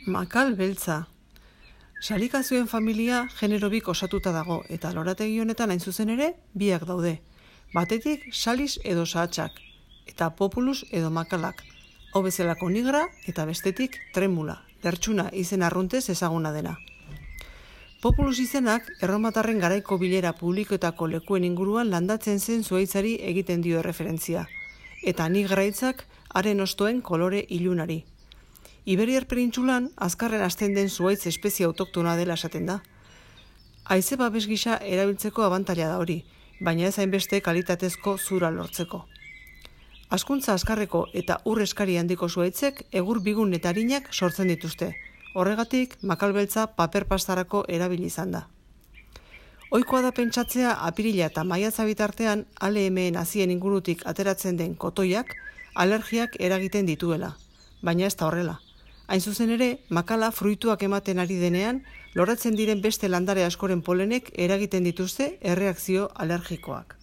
Makal beltza. Salikazioen familia genero bik osatuta dago eta lorategi honetan hain zuzen ere biak daude. Batetik salis edo sahatsak eta populus edo makalak. Hau bezalako nigra eta bestetik tremula, lertxuna izen arruntez ezaguna dena. Populus izenak erromatarren garaiko bilera publikoetako lekuen inguruan landatzen zen zuhaitzari egiten dio erreferentzia, eta nigra hitzak haren ostoen kolore ilunari. Iberiar penintsulan azkarren hasten den zuhaitz espezie autoktona dela esaten da. Haize babes gisa erabiltzeko abantaila da hori, baina ez hainbeste kalitatezko zura lortzeko. Hazkuntza azkarreko eta ur eskari handiko zuhaitzek egur bigun eta arinak sortzen dituzte. Horregatik, makal beltza paper pastarako erabili izan da. Ohikoa da pentsatzea apirila eta maiatza bitartean ALM-en hazien ingurutik ateratzen den kotoiak alergiak eragiten dituela, baina ez da horrela. Hain zuzen ere, makala fruituak ematen ari denean, loratzen diren beste landare askoren polenek eragiten dituzte erreakzio alergikoak.